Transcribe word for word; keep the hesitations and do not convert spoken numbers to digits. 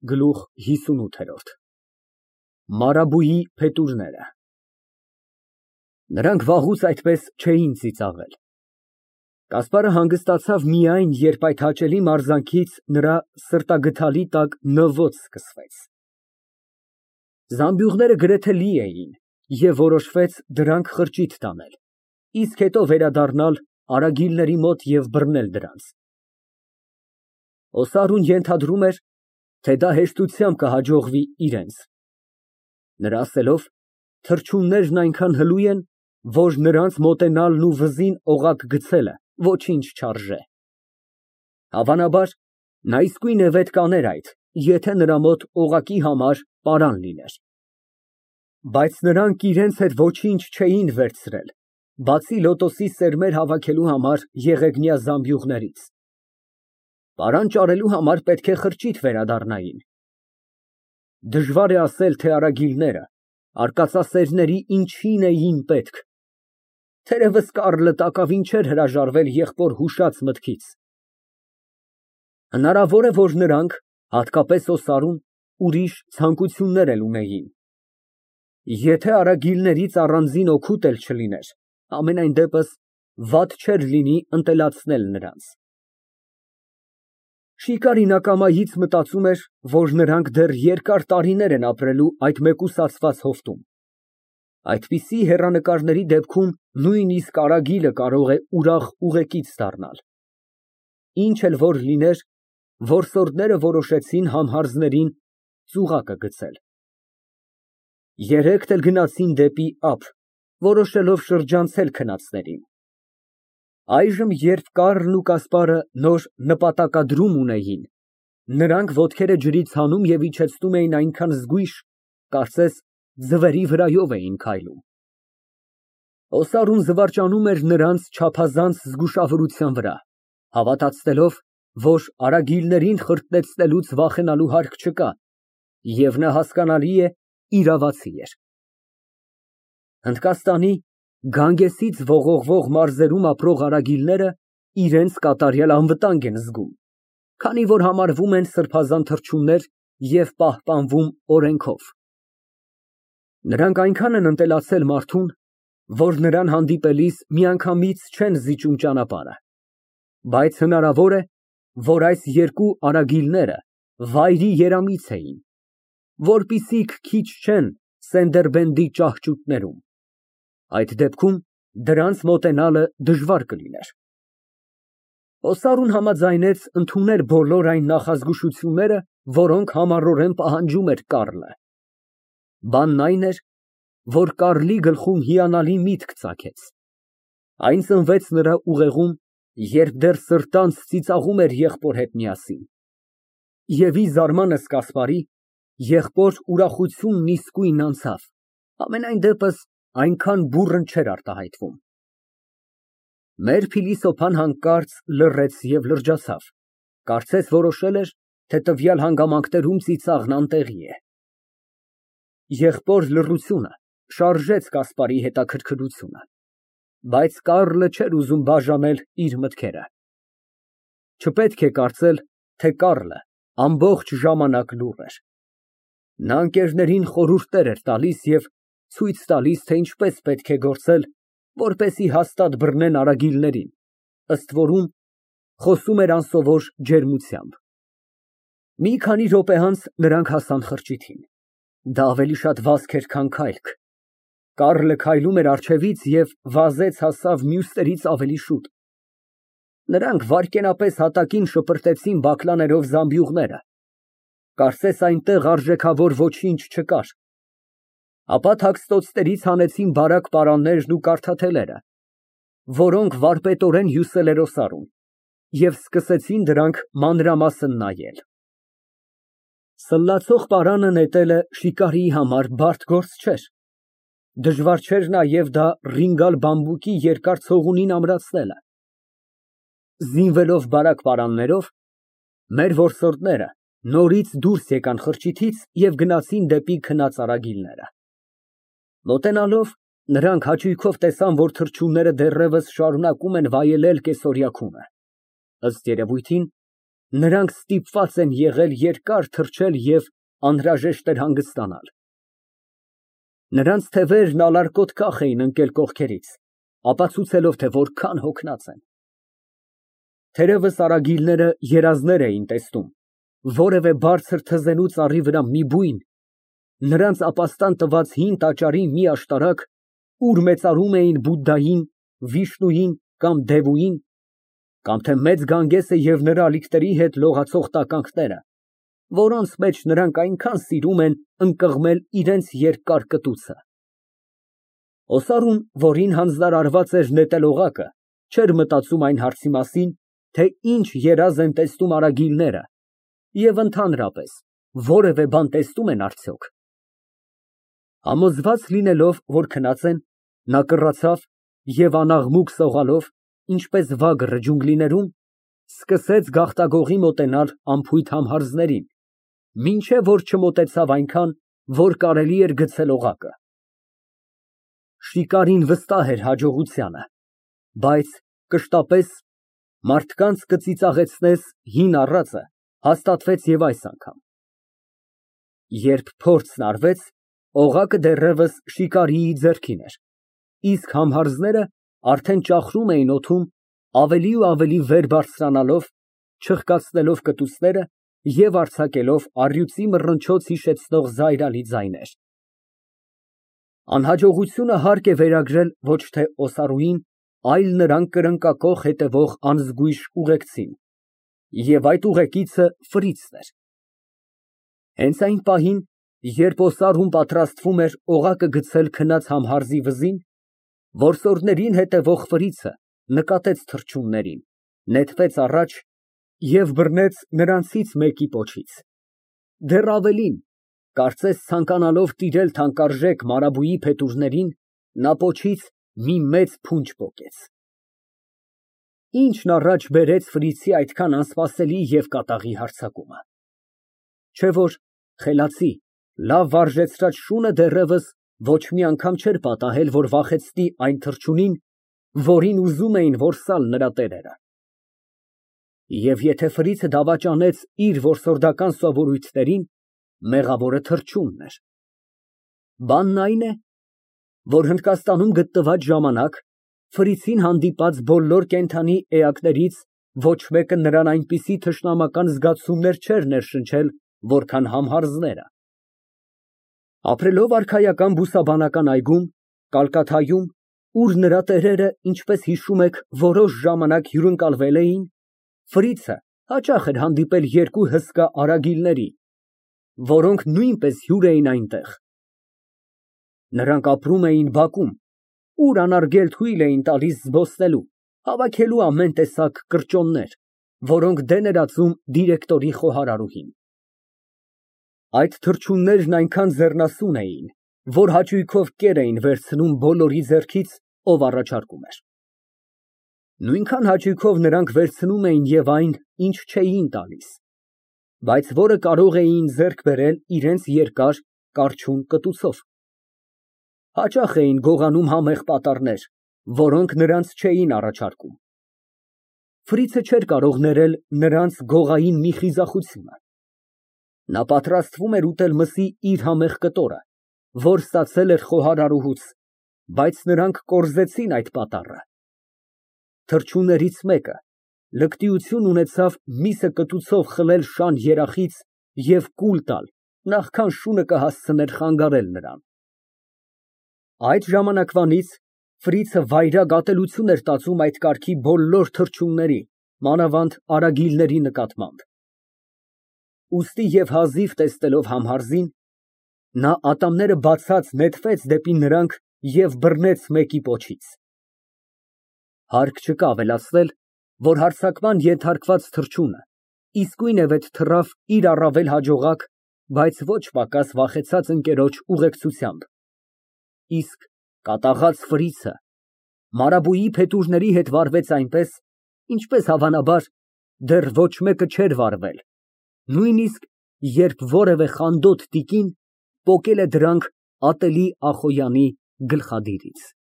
Գլուխ հիսունութ Մարաբույի փետուրները Նրանք վաղուց այդպես չէին ծիծաղել։ Կասպարը հանգստացավ միայն, երբ այդ հաճելի մարզանքից նրա սրտագդալի տակ նվոց սկսվեց։ Զամբյուղները գրեթե լի էին, և որոշվեց դրանք խրճիթ տանել, իսկ հետո վերադառնալ արագիլների մոտ և բռնել դրանց։ Օսարուն ենթադրում էր, թե դա հեշտությամբ կհաջողվի իրենց։ Նրա ասելով, թռչուններն այնքան հլու են, որ նրանց մոտենալն ու վզին օղակ գցելը ոչինչ չարժե։ Հավանաբար, նա իսկույն է վետ կաներ այդ, եթե նրա մոտ օղակի համար պարան լիներ։ Բայց նրանք իրենց հետ ոչինչ չէին վերցրել, բացի լոտոսի սերմեր հավաքելու համար եղեգնյա զամբյուղներից։ Պարան ճարելու համար պետք է խրճիթ վերադառնային։ Դժվար է ասել, թե արագիլները արկածասերների ինչին էին պետք։ Թերևս Կառլը տակավին չէր հրաժարվել եղբոր հուշած մտքից։ Հնարավոր է, որ նրանք, հատկապես Օսարուն, ուրիշ ցանկություններ էլ ունեին։ Եթե արագիլներից առանձին օգուտ էլ չլիներ, համենայն դեպս վատ չէր լինի ընտելացնել նրանց։ Շիկարին ակամայից մտածում էր, որ նրանք դեռ երկար տարիներ են ապրելու այդ մեկուսացված հովտում։ Այդպիսի հեռանկարների դեպքում նույնիսկ արագիլը կարող է ուրախ ուղեկից դառնալ։ Ինչ էլ որ լիներ, որսորդները որոշեցին համհարձներին ծուղակը գցել։ Երեքն էլ գնացին դեպի ափ, որոշելով շրջանցել քնածներին։ Այժմ, երբ Կառլն ու Կասպարը նոր նպատակադրում ունեին, նրանք ոտքերը ջրից հանում և իջեցնում էին այնքան զգույշ, կարծես ձվերի վրայով էին քայլում։ Օսարուն զվարճանում էր նրանց չափազանց զգուշավորության վրա, հավատացնելով, որ արագիլներին խրտնեցնելուց վախենալու հարկ չկա, և նա, հասկանալի է, իրավացի էր։ Հնդկաստանի Գանգեսից ողողվող մարզերում ապրող արագիլները իրենց կատարյալ անվտանգ են զգում, քանի որ համարվում են սրբազան թռչուններ և պահպանվում օրենքով։ Նրանք այնքան են ընտելացել մարդուն, որ նրան հանդիպելիս միանգամից չեն զիջում ճանապարհը, բայց հնարավոր է, որ այս երկու արագիլները վայրի երամից էին, որպիսիք քիչ չեն Սենդերբենդի ճահճուտներում։ Այդ դեպքում դրանց մոտենալը դժվար կլիներ։ Օսարուն համաձայնեց ընդունել բոլոր այն նախազգուշությունները, որոնք համառորեն պահանջում էր Կառլը։ Բանն այն էր, որ Կառլի գլխում հիանալի միտք ծագեց։ Այն ծնվեց նրա ուղեղում, երբ դեռ սրտանց ծիծաղում էր եղբոր հետ միասին։ Եվ ի զարմանս Կասպարի, եղբոր ուրախությունն իսկույն անցավ, համենայն դեպս այնքան բուռն չէր արտահայտվում։ Մեր փիլիսոփան հանկարծ լռեց և լրջացավ, կարծես որոշել էր, թե տվյալ հանգամանքներում ծիծաղն անտեղի է։ Եղբոր լռությունը շարժեց Կասպարի հետաքրքրությունը, բայց Կառլը չէր ուզում բաժանել իր մտքերը։ Չպետք է կարծել, թե Կառլը ամբողջ ժամանակ լուռ էր։ Նա ընկերներին խորհուրդներ էր տալիս և ցույց տալիս, թե ինչպես պետք է գործել, որպեսզի հաստատ բռնեն արագիլներին, ըստ որում, խոսում էր անսովոր ջերմությամբ։ Մի քանի րոպե անց նրանք հասան խրճիթին։ Դա ավելի շատ վազք էր, քան քայլք։ Կառլը քայլում էր առջևից և վազեց հասավ մյուսներից ավելի շուտ։ Նրանք վայրկենապես հատակին շպրտեցին բակլաներով զամբյուղները, կարծես այնտեղ արժեքավոր ոչինչ չկար։ Ապա թաքստոցներից հանեցին բարակ պարաններն ու կարթաթելերը, որոնք վարպետորեն հյուսել էր Օսարուն, և սկսեցին դրանք մանրամասն նայել։ Սլլացող պարանը նետելը շիկարիի համար բարդ գործ չէր։ Դժվար չէր նաև դա ռինգալ բամբուկի երկար ցողունին ամրացնելը։ Զինվելով բարակ պարաններով, մեր որսորդները նորից դուրս եկան խրճիթից և գնացին դեպի քնած արագիլները։ Մոտենալով, նրանք հաճույքով տեսան, որ թռչունները դեռևս շարունակում են վայելել կեսօրյա քունը։ Ըստ երևույթին, Նրանք ստիպված են եղել երկար թռչել և անհրաժեշտ էր հանգստանալ։ Նրանց թևերն ալարկոտ կախ էին ընկել կողքերից, ապացուցելով, թե որքան հոգնած են։ Թերևս արագիլները երազներ էին տեսնում, որևէ բարձր թզենու ծառի վրա մի բույն, նրանց ապաստան տված հին տաճարի մի աշտարակ, ուր մեծարում էին Բուդդային, Վիշնուին կամ Դևուին, կամ թե Մեծ Գանգեսը և նրա ալիքների հետ լողացող տականքները, որոնց մեջ նրանք այնքան սիրում են ընկղմել իրենց երկար կտուցը։ Օսարուն, որին հանձնարարված էր նետել օղակը, չէր մտածում այն հարցի մասին, թե ինչ երազ են տեսնում արագիլները և ընդհանրապես, որևէ բան տեսնում են արդյոք։ Համոզված լինելով, որ քնած են, նա կռացավ և անաղմուկ սողալով, ինչպես վագրը ջունգլիներում, սկսեց գաղտագողի մոտենալ անփույթ համհարձներին, մինչև որ չմոտեցավ այնքան, որ կարելի էր գցել օղակը։ Շիկարին վստահ էր հաջողությանը, բայց կշտապես, մարդկանց կծիծաղեցնես հին առածը հաստատվեց և այս անգամ։ Երբ փորձն արվեց, օղակը դեռևս շիկարիի ձեռքին էր, իսկ համհարձները արդեն ճախրում էին օդում, ավելի ու ավելի վեր բարձրանալով, չխկացնելով կտուցները և արձակելով առյուծի մռնչոց հիշեցնող զայրալի ձայներ։ Անհաջողությունը հարկ է վերագրել ոչ թե Օսարուին, այլ նրան կրնկակոխ հետևող անզգույշ ուղեկցին, և այդ ուղեկիցը Ֆրիցն էր։ Հենց այն պահին, երբ Օսարուն պատրաստվում էր օղակը գցել քնած համհարձի վզին, որսորդներին հետևող Ֆրիցը նկատեց թռչուններին, նետվեց առաջ և բռնեց նրանցից մեկի պոչից, դեռ ավելին, կարծես ցանկանալով տիրել թանկարժեք մարաբույի փետուրներին, նա պոչից մի մեծ փունջ պոկեց։ Ի՞նչն առաջ բերեց Ֆրիցի այդքան անսպասելի և կատաղի հարձակումը։ Չէ որ խելացի, լավ վարժեցրած շունը դեռևս ոչ մի անգամ չէր պատահել, որ վախեցնի այն թռչունին, որին ուզում էին որսալ նրա տերերը։ Եվ եթե Ֆրիցը դավաճանեց իր որսորդական սովորույթներին, մեղավորը թռչունն էր։ Բանն այն է, որ Հնդկաստանում գտնված ժամանակ Ֆրիցին հանդիպած բոլոր կենդանի էակներից ոչ մեկը նրան այնպիսի թշնամական զգացումներ չէր ներշնչել, որքան համհարձները։ Ապրելով արքայական բուսաբանական այգում, Կալկաթայում, ուր նրա տերերը, ինչպես հիշում եք, որոշ ժամանակ հյուրընկալվել էին, Ֆրիցը հաճախ էր հանդիպել երկու հսկա արագիլների, որոնք նույնպես հյուր էին այնտեղ։ Նրանք ապրում էին բակում, ուր անարգել թույլ էին տալիս զբոսնելու, հավաքելու ամեն տեսակ կրճոններ, որոնք դեն էր ածում դիրեկտորի խոհարարուհին։ Այդ թռչուններն այնքան ձեռնասուն էին, որ հաճույքով կեր էին վերցնում բոլորի ձեռքից, ով առաջարկում էր։ Նույնքան հաճույքով նրանք վերցնում էին և այն, ինչ չէին տալիս, բայց որը կարող էին ձեռք բերել իրենց երկար, կառչուն կտուցով։ Հաճախ էին գողանում համեղ պատառներ, որոնք նրանց չէին առաջարկում։ Ֆրիցը չէր կարող ներել նրանց գողային մի խիզախությունը։ Նա պատրաստվում էր ուտել մսի իր համեղ կտորը, որ ստացել էր խոհարարուհուց, բայց նրանք կորզեցին այդ պատառը։ Թռչուններից մեկը լկտիություն ունեցավ միսը կտուցով խլել շան երախից և կուլ տալ, նախքան շունը կհասցներ խանգարել նրան։ Այդ ժամանակվանից Ֆրիցը վայրագ ատելություն էր տածում այդ կարգի բոլոր թռչունների, մանավանդ արագիլների նկատմամբ։ Ուստի և հազիվ տեսնելով համհարձին, նա ատամները բացած նետվեց դեպի նրանք և բռնեց մեկի պոչից։ Հարկ չկա ավելացնել, որ հարձակման ենթարկված թռչունը իսկույնևեթ թռավ իր առավել հաջողակ, բայց ոչ պակաս վախեցած ընկերոջ ուղեկցությամբ, իսկ կատաղած Ֆրիցը մարաբույի փետուրների հետ վարվեց այնպես, ինչպես հավանաբար դեռ ոչ մեկը չէր վարվել, նույնիսկ երբ որևէ խանդոտ տիկին պոկել է դրանք ատելի Ախոյանի գլխադիրից։